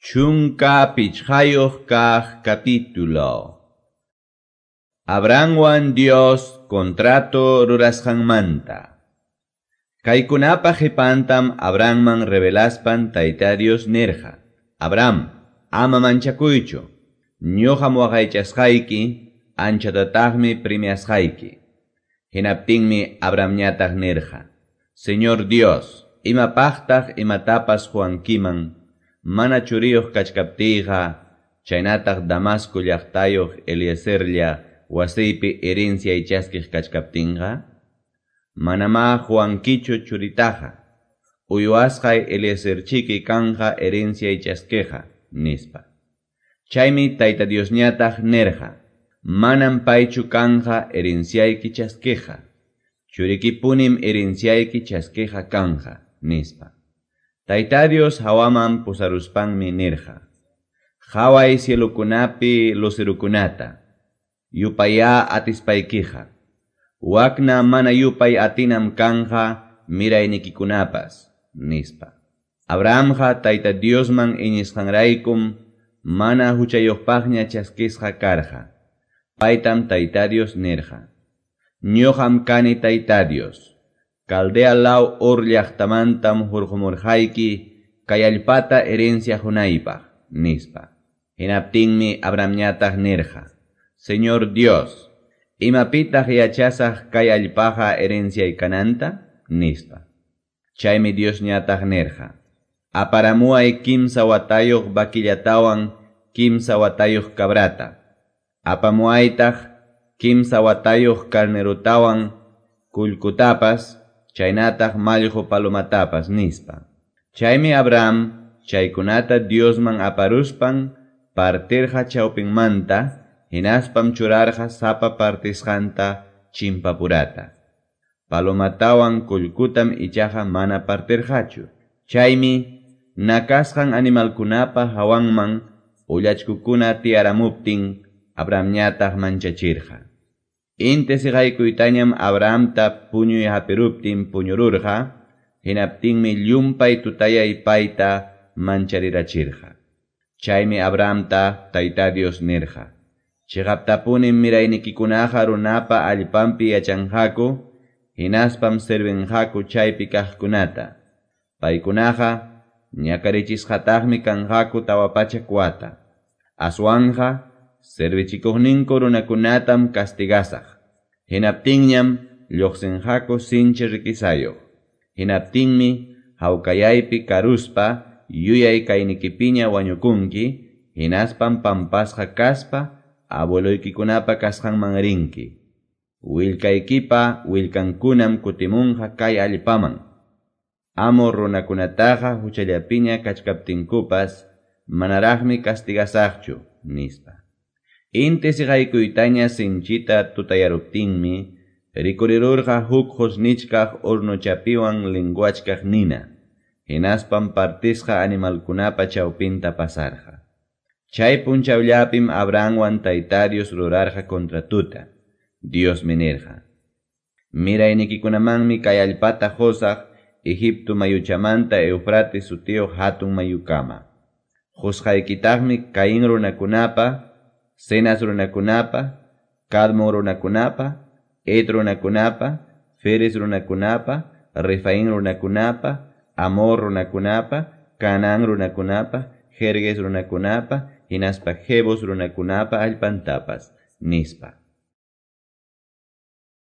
15 kaq capítulo. Abrahamwan Dios contrato rurasqanmanta. Kaykunapa qipantam Abrahamman revelaspan Tayta Dios nirqa: Abraham, ama manchakuychu, ñuqam waqaychasqayki, anchatataqmi premiasqayki. Hinaptinmi Abrahamñataq nirqa: Señor Dios, imapaqtaq imatapas quwankiman, mana churiyuq kachkaptiyqa, chaynataq Damasco llaqtayuq Eliezerlla wasiypi herenciay chaskiq kachkaptinqa? Manamá quwankichu churitaqa, uywasqay Eliezerchiki kanqa herenciay chaskiqa, nispa. Chaymi Tayta Diosñataq nirqa: Manam paychu kanqa herenciayki chaskiqa, churikipunim herenciayki chaskiqa kanqa, nispa. Tayta Dios hawaman pusaruspanmi nirqa: Qhaway cielukunapi lucerukunata, yupayá atispaykiqa, wakna mana yupay atinam kanqa miraynikikunapas, nispa. Abrahamqa Tayta Diosman iñisqanraykum mana huchayuqpaqña chaskisqa karqa. Paytam Tayta Dios nirqa: Ñuqam kani Tayta Dios. Caldea law Ur llaqtamantam hurqumurqayki kay allpata herencia hunaypaq, nispa. Hinaptinmi Abrahamñataq nirqa: Señor Dios, imapitaq yachasaq kay allpaqa herenciay kananta, nispa. Chaymi Diosñataq nirqa: Aparamuay 3 watayuq vaquillatawan 3 watayuq cabrata. Apamuaytaq 3 watayuq carnerutawan kullkutapas, chaynataq mallqu palomatapas, nispa. Chaymi Abraham chaykunata Diosman aparuspan partirqa chawpinmanta, hinaspam churarqa sapa partisqanta chimpapurata. Palomatawan kullkutam ichaqa mana partirqachu. Chaymi nakasqan animalkunapa hawanman ullachkukuna tiyaramuptin Abrahamñataq manchachirqa. Inti siqaykuytañam Abrahamta puñuy hapiruptin puñururqa, hinaptinmi llumpay tutayay payta mancharirachirqa. Chaymi Abrahamta Tayta Dios nirqa: Chiqaptapunim miraynikikunaqa runapa allpanpi yachanqaku, hinaspam servinqaku chaypi kaqkunata. Paykunaqa ñakarichisqataqmi kanqaku 400 wata. Aswanqa servichikuqninku runakunatam castigasaq. Hinaptinñam lluqsinqaku sinchi riquisayuq. Hinaptinmi hawkayaypi karuspa yuyay kaynikipiña wañukunki, hinaspam pampasqa kaspa abueloykikunapa kasqanman rinki. Willkaykipa willkankunam kutimunqa kay allpaman. Amor runakunataqa huchallapiña kachkaptinkupas manaraqmi castigasaqchu, nispa. Inti siqaykuytaña sinchita tutayaruptinmi rikurirurqa huk qusnichkaq hornochapiwan linguachkaq nina, hinaspam partisqa animalkunapa chawpinta pasarqa. Chay punchawllapim Abrahamwan Tayta Dios rurarqa contratuta. Diosmi nirqa: Miraynikikunamanmi kay allpata qusaq Egipto mayuchamanta Eufrates sutiyuq hatun mayukama. Qusqaykitaqmi Caín runakunapa, Cenas runakunapa, Cadmon runakunapa, Et runakunapa, Feres runakunapa, Refaín runakunapa, Amor runakunapa, Canaán runakunapa, Jergues runakunapa, hinaspa Jebus runakunapa allpantapas, nispa.